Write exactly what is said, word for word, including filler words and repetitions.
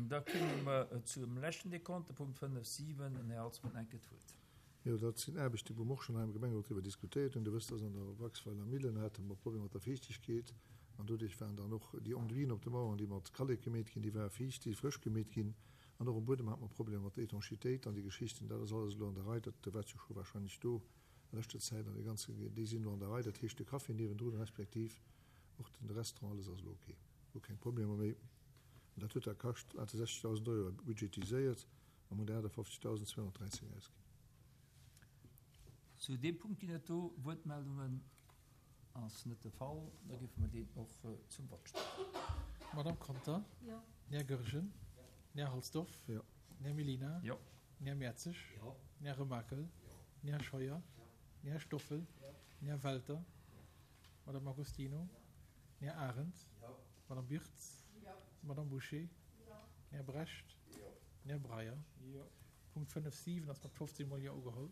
Da komme mer zum leschten Dekont, de Punkt fënnef siwen. Den Här Alzmann enk d'Wuert. Jo, dat sinn Aarbechten, wou mer och schonn hei am Gemengerot driwwer diskutéiert hunn. Dir wësst, dass an der Waxweiler Millen hate mer Problemer mat der Fiichtegkeet an doduerch waren dann och déi Enduiten op de Maueren, déi mat Kallek gemeet ginn, déi ware fiicht, déi si frësch gemeet ginn. An och um Buedem hate mer Problemer mat der Étanchéitéit an déi Geschichten. Dat ass alles elo an der Rei. Dat waart jo scho warscheinlech do a leschter Zäit an déi ganze, déi sinn elo an der Rei. Dat heescht, de Café niewendrun respektiv och den Restaurant, alles ass elo ok. Do keng Problemer méi. An dat huet da kascht achtundsechzegdausend Euro budgetiséiert a mer hunn der achtafofzegdausendzweehonnertdräizéng ausginn. Zu deem Punkt ginn et do Wuertmeldungen? Ass net de Fall. Da géife mer deen och zum Vott stellen. Madame Conter? Jo. Den Här Goergen? Jo. Den Här Halsdorf? Jo. Den Här Mellina? Jo. Den Här Mertzig? Jo. Den Här Remakel? Jo. Den Här Scheuer? Jo. Den Här Stoffel? Jo. Den Här Welter? Madame Agostino? Den Här Arendt? Jo. Madame Birtz? Jo. Madame Bouché? Jo. Den Här Brecht? Jo. Den Här Breyer? Jo. Punkt fënnef siwen ass mat fofzéng Mol Jo ugeholl.